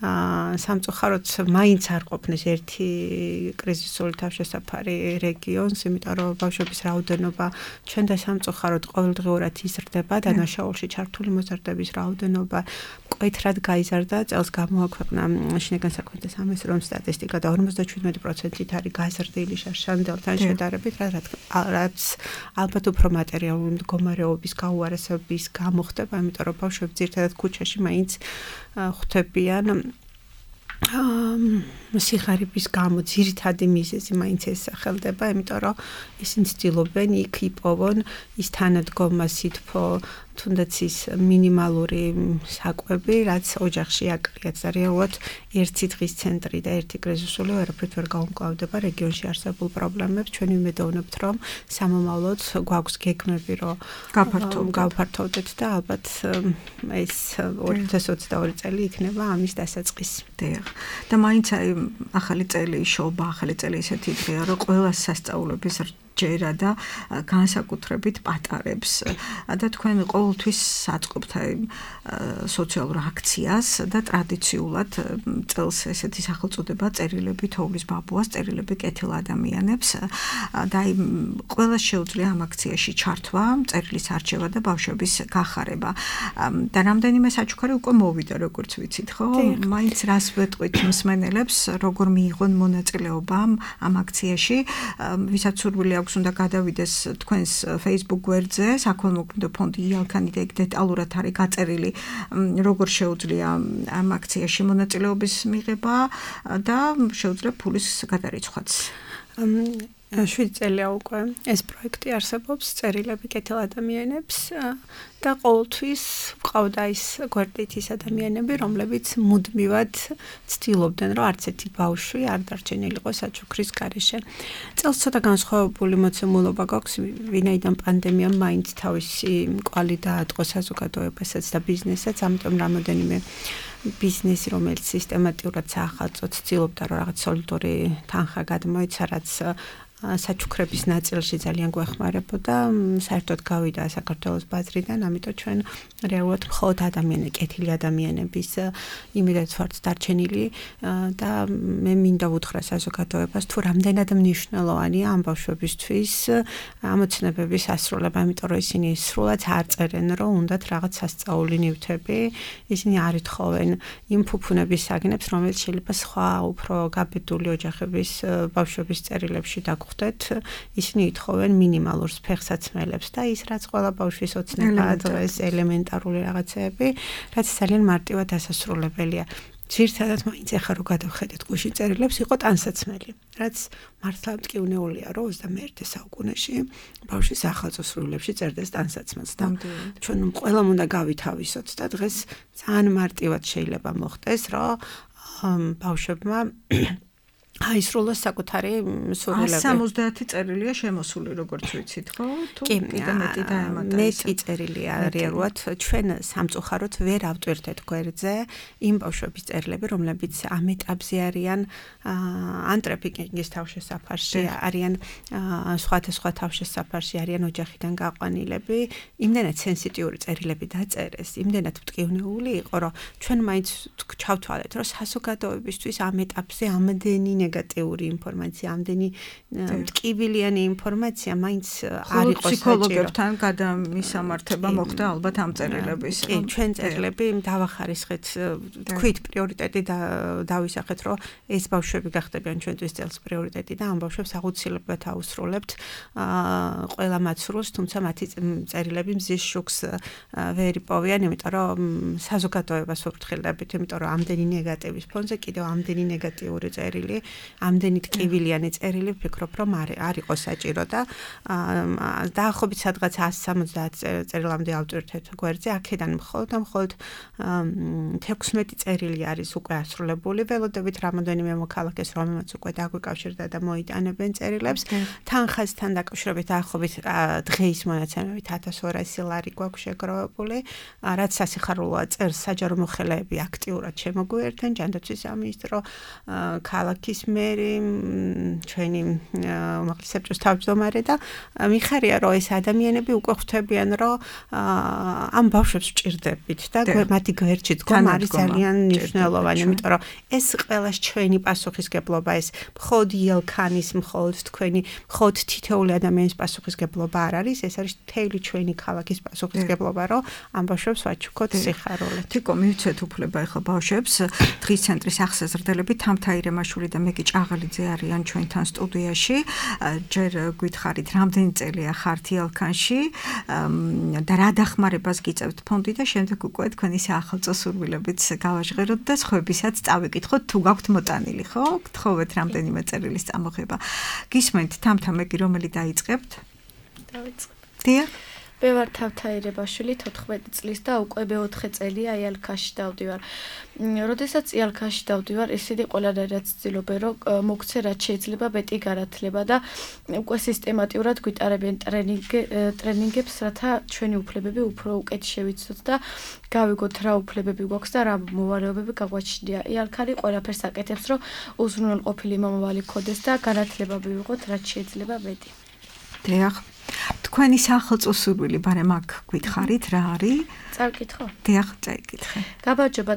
სამწუხაროდ მაინც არ ყოფნის ერთი კრიზისული თავშესაფარი რეგიონს, იმიტომ რომ ბავშვების რაოდენობა ჩვენ და სამწუხაროდ ყოველდღიურად იზრდება, დანაშაულში ჩართული მოზარდების რაოდენობა მკვეთრად გაიზარდა. წელს გამოაქვეყნა შინაგან საქმეთა სამინისტროს სტატისტიკა და ორმოცდაშვიდმეტი პროცენტით არის გაზრდილი შარშანდელთან შედარებით, რაც ალბათ უფრო მატერიალური მდგომარეობის გაუარესების გამო ხდება, იმიტომ რომ ბავშვები ძირითადად ქუჩაში მაინც ხვდებიან სიღარიბის გამო, ძირითადი მიზეზი მაინც ესახელდება, იმიტომ რომ ისინი ცდილობენ იქ იპოვონ ის თანადგომა, სითბო, თუნდაც ის მინიმალური საკვები, რაც ოჯახში აკლიათ და რეალურად ერთი დღის ცენტრი და ერთი კრიზისული ვერაფრით ვერ გაუმკლავდება რეგიონში არსებულ პრობლემებს. ჩვენ ვიმედოვნებთ, რომ სამომავლოდ გვაქვს გეგმები, რომ გავფართოვდეთ და ალბათ ეს ორი ათას ოცდაორი წელი იქნება ამის დასაწყისი. დიახ. და მაინც აი ახალი წელი შობა, ახალი წელი ისეთი დღეა, რომ ყველა სასწაულების ჯერა და განსაკუთრებით პატარებს და თქვენ ყოველთვის საწყობთ სოციალურ აქციას და ტრადიციულად წელს ესეთი სახელწოდება წერილები თოვლის ბაბუას, წერილები კეთილ ადამიანებს და აი ყველა შეუძლია ამ აქციაში ჩართვა, წერილის არჩევა და ბავშვების გახარება. და რამდენიმე საჩუქარი უკვე მოვიდა, როგორც ვიცით, ხო? მაინც რას ვეტყვით მსმენელებს, როგორ მიიღონ მონაწილეობა ამ აქციაში, ვისაც სურვილი აქვს უნდა გადავიდეს თქვენს Facebook გვერდზე, საქველმოქმედო ფონდი იალქანი და იქ დეტალურად არის გაწერილი, როგორ შეუძლია ამ აქციაში მონაწილეობის მიღება და შეუძლია ფულის გადარიცხვაც. შვიდი წელია უკვე ეს პროექტი არსებობს, წერილები კეთილ ადამიანებს და ყოველთვის ყავდა ის გვერდით ის ადამიანები, რომლებიც მუდმივად ცდილობდნენ, რომ არც ერთი ბავშვი არ დარჩენილიყო საჩუქრის გარეშე. წელს ცოტა განსხვავებული მოცემულობა გვაქვს, ვინაიდან პანდემიამ მაინც თავისი კვალი დაატყო საზოგადოებასაც და ბიზნესაც, ამიტომ რამოდენიმე ბიზნესი, რომელიც სისტემატურად საახალწლოდ ცდილობდა, რომ რაღაც სოლიდური თანხა გადმოეცა, რაც საჩუქრების ნაწილში ძალიან გვეხმარებოდა, საერთოდ გავიდა საქართველოს ბაზრიდან, ამიტომ ჩვენ რეალურად მხოლოდ ადამიანები, კეთილი ადამიანების იმედად ვართ დარჩენილი და მე მინდა ვუთხრა საზოგადოებას, თუ რამდენად მნიშვნელოვანია ამ ბავშვებისთვის ამოცნებების ასრულება, იმიტომ რომ ისინი სრულად არ წერენ, რომ უნდათ რაღაც სასწაული ნივთები, ისინი არ ეთხოვენ იმ ფუფუნების საგნებს, რომელიც შეიძლება სხვა უფრო გაბედული ოჯახების ბავშვების წერილებში დაგხვდეთ. ისინი ითხოვენ მინიმალურ ფეხსაცმელებს და ის რაც ყველა ბავშვის ოცნებაა დღეს ელემენტარული რაღაცეები, რაც ძალიან მარტივად დასასრულებელია. ძირითადად მაინც ახლა რო გადავხედეთ გუშინ წერილებს, იყო ტანსაცმელი, რაც მართლა მტკივნეულია, რომ ოცდამეერთე საუკუნეში ბავშვი სახალხო სრულებში წერდეს ტანსაცმელს და ჩვენ ყველამ უნდა გავითავისოთ და დღეს ძალიან მარტივად შეიძლება მოხდეს, რომ ბავშვებმა აისრულოს საკუთარი სურვილები. სამოცდაათი წერილია შემოსული, როგორც ვიცით, ხო? თუ კიდე მეტი დაემატა. მეტი წერილია რეალურად ჩვენ სამწუხაროდ ვერ ავტვირთეთ გვერდზე იმ ბავშვების წერილები, რომლებიც ამ ეტაპზე არიან ან ტრაფიკინგის თავშესაფარში, არიან სხვადასხვა თავშესაფარში, არიან ოჯახიდან გაყვანილები, იმდენად სენსიტიური წერილები დაწერეს, იმდენად მტკივნეული იყო, რომ ჩვენ მაინც ჩავთვალეთ, რომ საზოგადოებისთვის ამ ეტაპზე ამდენი ნეგატიური ინფორმაცია, ამდენი მტკივილიანი ინფორმაცია მაინც არ იყო საჭირო. ფსიქოლოგებთან გადამისამართება მოხდა ალბათ ამ წერილების. კი, ჩვენ წერილები დავახარისხეთ, თქვით პრიორიტეტი დავისახეთ, რომ ეს ბავშვები გახდებიან ჩვენთვის წელს პრიორიტეტი და ამ ბავშვებს აუცილებლად აუსრულებთ ყველა მათ სრულს, თუმცა მათი წერილები მზის შუქს ვერ იპოვიან, იმიტომ რომ საზოგადოებას ვფრთხილდებით, იმიტომ რომ ამდენი ნეგატივის ფონზე კიდევ ამდენი ნეგატიური წერილი, ამდენი ტკივილიანი წერილი ვფიქრობ, რომ არ იყო საჭირო და დაახლოებით სადღაც εκατს სამოცდაათ წერილამდე ავტვირთეთ გვერდზე, აქედან მხოლოდ და მხოლოდ თექვსმეტი წერილი არის უკვე ასრულებული, ველოდებით რამოდენიმე მოქალაქეს, რომელმაც უკვე დაგვიკავშირდა და მოიტანებენ წერილებს. თანხასთან დაკავშირებით დაახლოებით დღეის მონაცემებით ათას ორასი ლარი გვაქვს შეგროვებული, რაც სასიხარულოა, წერს საჯარო მოხელეები აქტიურად შემოგვიერთენ, ჯანდაცვის სამინისტრო, ქალაქის მერი, ჩვენი უმაღლესი საბჭოს თავმჯდომარე და მიხარია, რომ ეს ადამიანები უკვე ხვდებიან, რომ ამ ბავშვებს ვჭირდებით და მათი გვერდში დგომა არის ძალიან მნიშვნელოვანი, იმიტომ რომ ეს ყველას ჩვენი პასუხისგებლობა, ეს მხოლოდ იელქანის, მხოლოდ თქვენი, მხოლოდ თითოეული ადამიანის პასუხისგებლობა არ არის, ეს არის მთელი ჩვენი ქალაქის პასუხისგებლობა, რომ ამ ბავშვებს ვაჩუქოთ სიხარულით. თიკო, მივცეთ უფლება ახლა ბავშვებს, დღის ცენტრის აღსაზრდელები თამთა ირემაშვილი და მეკი ჭაღალიძე არიან ჩვენთან სტუდიაში. ჯერ გითხარით, რამდენი წელია ხართ იალქანში და რა დახმარებას გიწევთ ფონდი და შემდეგ უკვე თქვენი საახალწლო სურვილებით გავაჟღეროთ და სხვებისაც წავიკითხოთ, თუ გაქვთ მოტანილი, ხო? გთხოვეთ რამდენიმე წერილის წამოღება. გისმენთ თამთა მეკი, რომელი დაიწყებთ? დავიწყებ. დიახ. მე ვარ თამთა ირემაშვილი, თოთხმეტი წლის და უკვე მეოთხე წელია იალქანში დავდივარ. როდესაც იალქანში დავდივარ, ისინი ყველანაირად ცდილობენ, რომ მოგცე რაც შეიძლება მეტი განათლება და უკვე სისტემატურად გვიტარებენ ტრენინგებს, რათა ჩვენი უფლებები უფრო უკეთ შევიცოთ და გავიგოთ რა უფლებები გვაქვს და რა მოვალეობები გაგვაჩნია. იალქანი ყველაფერს აკეთებს, რომ უზრუნველყოფილი მომავალი ქონდეს და განათლება მივიღოთ რაც შეიძლება მეტი. დიახ. თქვენი სახელმწიფო სურვილი ბარემ აქ გითხარით რა არის? წავკითხო. დიახ, წაიკითხე. გაბარჯობა,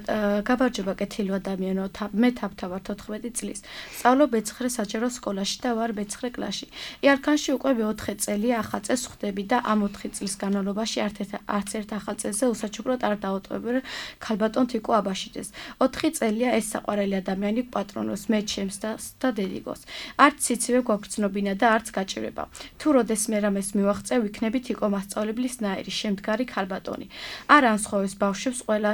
გაბარჯობა კეთილო ადამიანო, მე თავთა ვარ თოთხმეტი წლის. სწავლობ მეცხრე საჯარო სკოლაში და ვარ მეცხრე კლასში. იარქანში უკვე მეოთხე წელია ახალ წელს ხვდები და ამ ოთხი წლის განმავლობაში არც ერთ ახალ წელზე უსაჩუქროდ არ დავუტოვებ ქალბატონ თიკო აბაშიძეს. ოთხი წელია ეს საყვარელი ადამიანი პატრონოს მე ჩემს და დედიკოს. არც სიცივე გვაგრძნობინა და არც გაჭირება. თუ როდესმე რამეს მივაღწევ, იქნები თიკო მასწავლებლის ნაირი, შემდგარი ქალბატონი. არ ანსხოვეს ბავშვებს ყველა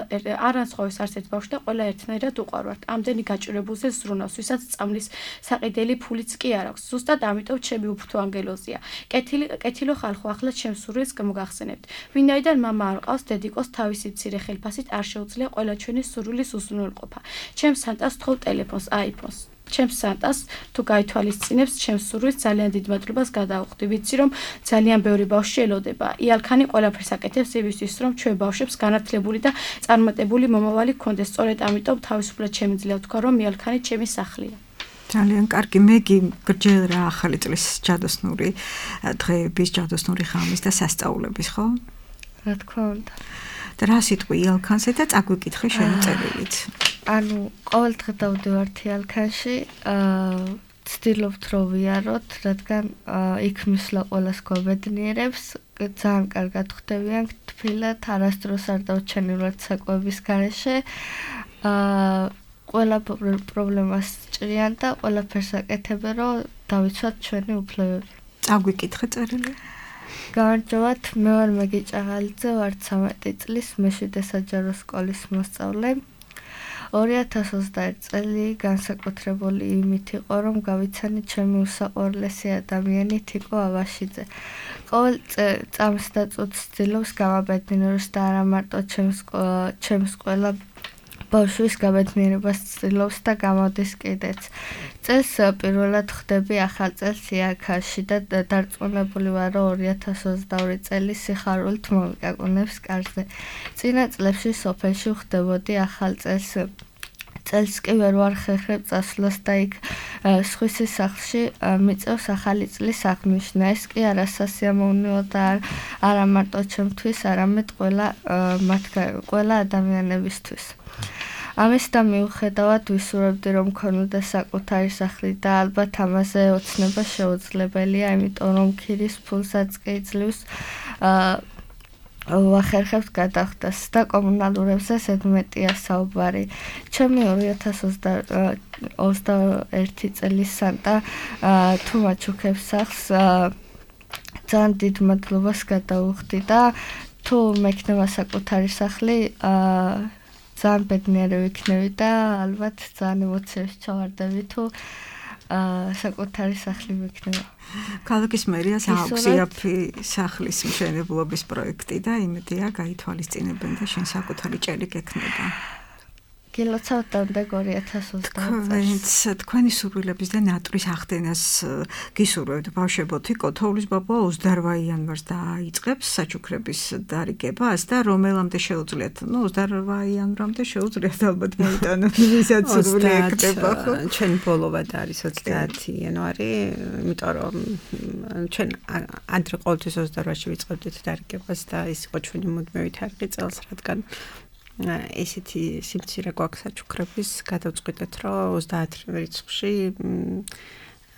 არ ანსხოვეს არც ერთ ბავშვს და ყველა ერთნაირად უყარვართ. ამდენი გაჭირებულზე ზრუნავს, ვისაც წამლის საყიდელი ფულიც კი არ აქვს. ზუსტად ამიტომ ჩემი უფრთო ანგელოზია. კეთილი კეთილო ხალხო, ახლა ჩემს სურვილს მოგახსენებთ. ვინაიდან მამა არ ყავს, დედიკოს თავისი მცირე ხელფასით არ შეუძლია ყველა ჩვენი სურვილის უზრუნველყოფა. ჩემს სანტას თხოვ ტელეფონს, აიფონს. ჩემს სანტას თუ გაითვალისწინებს ჩემს სურვილს ძალიან დიდ მადლობას გადავხდი. ვიცი რომ ძალიან ბევრი ბავშვი ელოდება. იალქანი ყველაფერს აკეთებს იმისთვის რომ ჩვენ ბავშვებს განათლებული და წარმატებული მომავალი გქონდეს. სწორედ ამიტომ თავისუფლად შემიძლია ვთქვა რომ იალქანი ჩემი სახლია. ძალიან კარგი. მე კი გრჯელ რა ახალი წლის ჯადოსნური დღეების, ჯადოსნური ღამის და სასწაულების, ხო? რა თქმა უნდა. და რა სიტყვი იალქანზე და წაგვიკითხე შენი წერილით. ანუ ყოველდღე დავდივართ იალქანში, ვცდილობთ რომ ვიაროთ, რადგან იქ მისვლა ყველას გვაბედნიერებს, ძალიან კარგად ხვდებიან, თბილად, არასდროს არ დავჩენილვართ საკვების გარეშე. ყველა პრობლემას ჭრიან და ყველაფერს აკეთებენ, რომ დავიცვათ ჩვენი უფლებები. წაგვიკითხე წერილი. გამარჯობათ, მე ვარ მეგი ჭაღალიძე, ვარ ცამეტი წლის, მეშვიდე საჯარო სკოლის მოსწავლე. ორი ათას ოცდაერთი წელი განსაკუთრებული იმით იყო, რომ გავიცანი ჩემი უსაყვარლესი ადამიანი თიკო აბაშიძე. ყოველ წამს და წუთს ვცდილობს გამაბედნიეროს და არა მარტო ჩემს ყველა ბავშვის გაბედნიერებას ცდილობს და გამოდის კიდეც. წელს პირველად ხვდები ახალ წელს იარქანში და დარწმუნებული ვარ, რომ ორი ათას ოცდაორი წელი სიხარულით მომიკაკუნებს კარზე. წინა წლებში სოფელში ხვდებოდი ახალ წელს. წელს კი ვერ ვარ ხერხებ წასვლას და იქ სხვისის სახლში მიწევს ახალი წლის აღნიშვნა. ეს კი არასასიამოვნოა და არა მარტო ჩემთვის, არამედ ყველა ყველა ადამიანებისთვის. ამის და მიუხედავად ვისურვებდი რომ მქონოდა საკუთარი სახლი და ალბათ ამაზე ოცნება შეუძლებელია, იმიტომ რომ ქირის ფულსაც კი იძლევს ვახერხებთ გადახდას და კომუნალურებზე ზედმეტია საუბარი. ჩემი ორი ათას ოცდაერთი წლის სანტა თუ მაჩუქებს სახლს ძალიან დიდ მადლობას გადავუხდი და თუ მექნება საკუთარი სახლი ძალიან ბედნიერი ვიქნები და ალბათ ძალიან ემოციებში ჩავარდები თუ საკუთარი სახლი მექნება. ქალაქის მერიას აქვს იაფი სახლის მშენებლობის პროექტი და იმედია გაითვალისწინებენ და შენ საკუთარი ჭერი გექნება. გილოცავთ დამდეგ ორი ათას ოცდაოთხ წელს. თქვენი სურვილების და ნატვრის ახდენას გისურვებთ ბავშვებო. თიკო თოვლის ბაბა ოცდაოთხ იანვარს დაიწყებს საჩუქრების დარიგებას და რომელამდე შეუძლიათ? ნუ ოცდაოთხ იანვრამდე შეუძლიათ ალბათ მოიტანოთ, ვისაც სურვილი ეკდება, ხო? ჩვენ ბოლოვად არის ოცდაათი იანვარი, იმიტომ რომ ჩვენ ადრე ყოველთვის ოცდაოთხში ვიწყებდით დარიგებას და ის იყო ჩვენი მუდმივი თარიღი წელს, რადგან ესეთი სიმცირე გვაქვს საჩუქრების, გადავწყვიტეთ, რომ ოცდაათი რიცხვში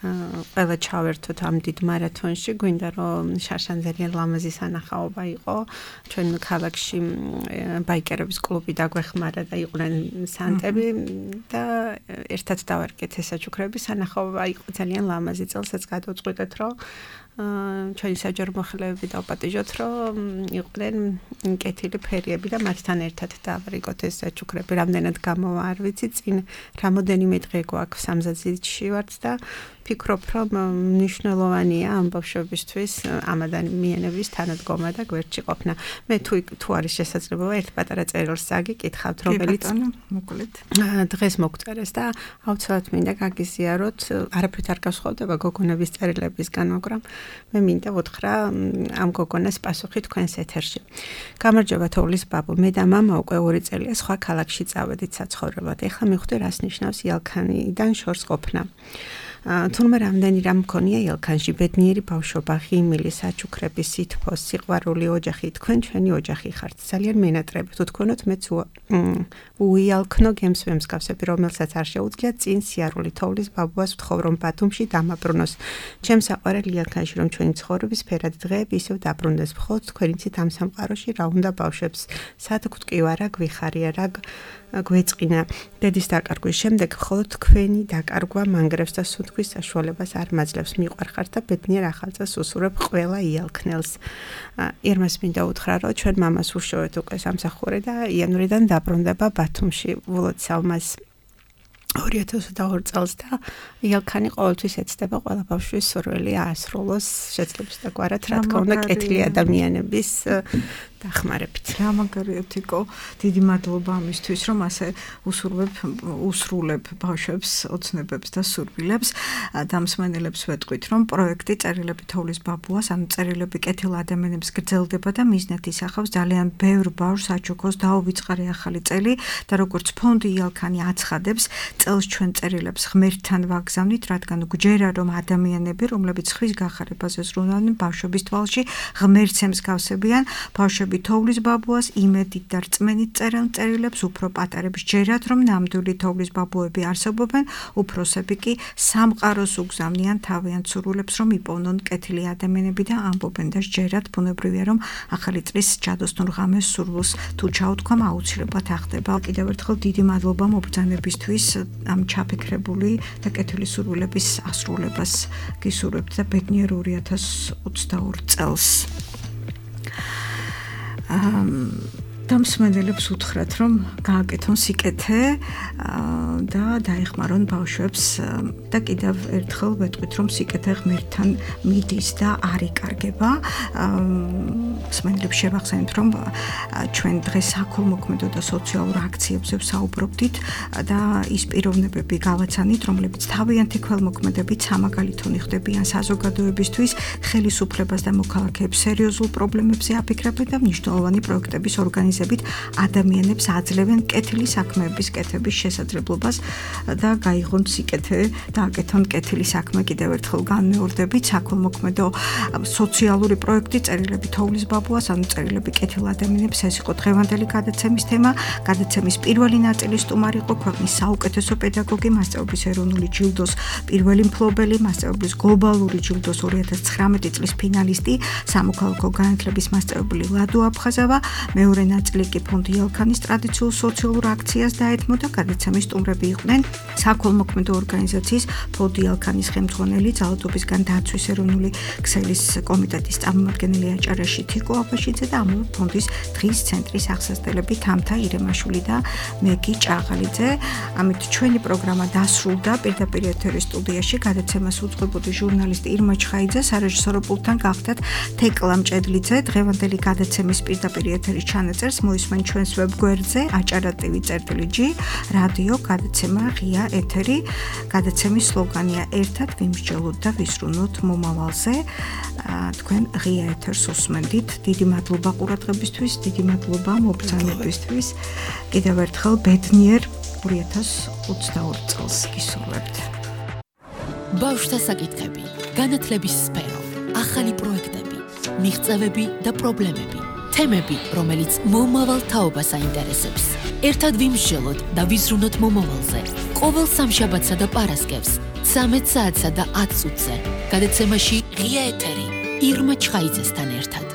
ყველა ჩავერთოთ ამ დიდ მარათონში. გვინდა რომ შარშან ძალიან ლამაზი სანახაობა იყო. ჩვენ ქალაქში ბაიკერების კლუბი დაგვეხმარა და იყვნენ სანტები და ერთად დავარკეთ ეს საჩუქრები. სანახაობა იყო ძალიან ლამაზი. წელსაც გადავწყვიტეთ, რომ ჩვენი საჯარო მოხელეები დავპატიჟოთ, რომ იყვნენ კეთილი ფერიები და მათთან ერთად დავარიგოთ ეს საჩუქრები. რამდენად გამოვა არ ვიცი, წინ რამოდენიმე დღე გვაქვს სამზადისში ვართ და ფიქრობ, რომ მნიშვნელოვანია ამ ბავშვებისთვის ამ ადამიანების თანადგომა და გვერდში ყოფნა. მე თუ თუ არის შესაძლებლობა ერთ პატარა წერილს აგიკითხავთ, რომელიც მოკლედ დღეს მოგწერეს და აუცილებლად მინდა გაგიზიაროთ, არაფრით არ გასხოვდება გოგონების წერილებისგან, მაგრამ მე მინდა ვუთხრა ამ გოგონას პასუხი თქვენს ეთერში. გამარჯობა თოვლის ბაბო, მე და მამა უკვე ორი წელია სხვა ქალაქში წავედით საცხოვრებლად. ეხლა მივხვდი რას ნიშნავს იალქანიდან შორს ყოფნა. თურმე რამდენი რამ მქონია ელქანში ბედნიერი ბავშვობა, ღიმილი, საჩუქრები, სითბო, სიყვარული, ოჯახი, თქვენ ჩვენი ოჯახი ხართ. ძალიან მენატრები თუ თქვენოთ მეც უიალქნო გემს ვემსგავსები, რომელსაც არ შეუძლია წინ სიარული თოვლის ბაბუას ვთხოვ რომ ბათუმში დამაბრუნოს. ჩემს საყვარელი ელქანში რომ ჩვენი ცხოვრების ფერად დღეები ისევ დაბრუნდეს. მხოლოდ თქვენი ცით ამ სამყაროში რა უნდა ბავშვებს. სათქვთ კი ვარა, გვიხარია რა გვეწყინა. დედის დაკარგვის შემდეგ მხოლოდ თქვენი დაკარგვა მანგრევს და სუნთქვის საშუალებას არ მაძლევს. მიყვარხართ და ბედნიერ ახალ წელს უსურვებ ყველა იალქნელს. ირმას მინდა უთხრა რომ ჩვენ მამას უშოვეთ უკვე სამსახური და იანვრიდან დაბრუნდება ბათუმში. ვულოთ სალმას ორი ათას ოცდაორი წელს და იალქანი ყოველთვის ეცდება ყველა ბავშვის სურვილი აასრულოს შეძლებს და გვარად რა თქმა უნდა კეთილი ადამიანების დახმარებით. რა მაგარია თიკო, დიდი მადლობა ამისთვის რომ ასე უსურვებ უსრულებ ბავშვებს ოცნებებს და სურვილებს. დამსმენელებს ვეტყვით რომ პროექტი წერილები თოვლის ბაბუას, ანუ წერილები კეთილ ადამიანებს გრძელდება და მიზნად ისახავს ძალიან ბევრ ბავშვს აჩუქოს დაუვიწყარი ახალი წელი და როგორც ფონდი იალქანი აცხადებს, წელს ჩვენ წერილებს ღმერთთან ვაგზავნით, რადგან გვჯერა რომ ადამიანები, რომლებიც ხვის გახარებაზე ზრუნავდნენ ბავშვების თვალში, ღმერთს ემსგავსებიან, ბავშვები თოვლის ბაბუას იმედით და რწმენით წერენ წერილებს, უფრო პატარებს ჯერათ რომ ნამდვილი თოვლის ბაბუები არსებობენ, უფროსები კი სამყაროს უგზავნიან თავიანთ სურვილებს რომ იპოვნონ კეთილი ადამიანები და ამბობენ და ჯერათ ბუნებრივია რომ ახალი წლის ჯადოსნურ ღამეს სურვილს თუ ჩაუთქვამ აუცილებლად ახდება. კიდევ ერთხელ დიდი მადლობა მობრძანებისთვის ამ ჩაფიქრებული და კეთილი სურვილების ასრულებას გისურვებთ და ბედნიერ ორი ათას ოცდაორი წელს. დამსმენელებს უთხრათ რომ გააკეთონ სიკეთე და დაეხმარონ ბავშვებს და კიდევ ერთხელ ვეტყვით რომ სიკეთე ღმერთთან მიდის და არ იკარგება. მსმენელებს შევახსენებთ რომ ჩვენ დღეს საქველმოქმედო და სოციალურ აქციებზე ვსაუბრობდით და ის პიროვნებები გავაცანით, რომლებიც თავიანთი ქველმოქმედებით სამაგალითონი ხდებიან საზოგადოებისთვის, ხელისუფლებას და მოქალაქეებს სერიოზულ პრობლემებზე აფიქრებენ და მნიშვნელოვანი პროექტების ორგანიზებით ადამიანებს აძლევენ კეთილი საქმეების კეთების შესაძლებლობას და გაიღონ სიკეთე და აკეთონ კეთილი საქმე. კიდევ ერთხელ განმეორდებით, საქველმოქმედო სოციალური პროექტი წერილები თოვლის ბაბუას, ანუ წერილები კეთილ ადამიანებს, ეს იყო დღევანდელი გადაცემის თემა. გადაცემის პირველი ნაწილი სტუმარი იყო ქვეყნის საუკეთესო პედაგოგი, მასწავლებლის ეროვნული ჯილდოს პირველი მფლობელი, მასწავლებლის გლობალური ჯილდოს ორი ათას ცხრამეტი წლის ფინალისტი, სამოქალაქო განათლების მასწავლებელი ლადო აფხაზავა. მეორე ნაწილი კი ფონდი იალქანის ტრადიციულ სოციალურ აქციას დაეთმო და გადაცემის სტუმრები იყვნენ საქველმოქმედო ორგანიზაციის ფონდი იალქანის ხელმძღვანელი, ძალადობისგან დაცვის ეროვნული ქსელის კომიტეტის წარმომადგენელი აჭარაში თიკო აბაშიძე და ამავე ფონდის დღის ცენტრის აღსასწრებელი თამთა ირემაშვილი და მეგი ჭაღალიძე. ამით ჩვენი პროგრამა დასრულდა. პირდაპირ ეთერის სტუდიაში გადაცემას უძღვებოდი ჟურნალისტი ირმა ჩხაიძე, სარეჟისორო პულტთან გახდათ თეკლა მჭედლიძე. დღევანდელი გადაცემის პირდაპირ ეთერის ჩანაწერს მოისმენ ჩვენს ვებგვერდზე აჭარა ტივი წერტილი ჯი რადიო გადაცემა ღია ეთერი. გადაცემის სლოგანია ერთად ვიმსჯელოთ და ვისრუნოთ მომავალზე. თქვენ ღია ეთერს უსმენდით. დიდი მადლობა ყურადღებისთვის, დიდი მადლობა მობრძანებისთვის. კიდევ ერთხელ ბედნიერ ორი ათას ოცდაორი წელს გისურვებთ. ბავშვთა საკითხები, განათლების სფერო, ახალი პროექტები, მიღწევები და პრობლემები. თემები, რომელიც მომავალ თაობას აინტერესებს. ერთად ვიმსჯელოთ და ვიზრუნოთ მომავალზე. ყოველ სამშაბათსა და პარასკევს, ცამეტ საათსა და ათ წუთზე. გადაცემაში ღია ეთერი ირმა ჩხაიძესთან ერთად.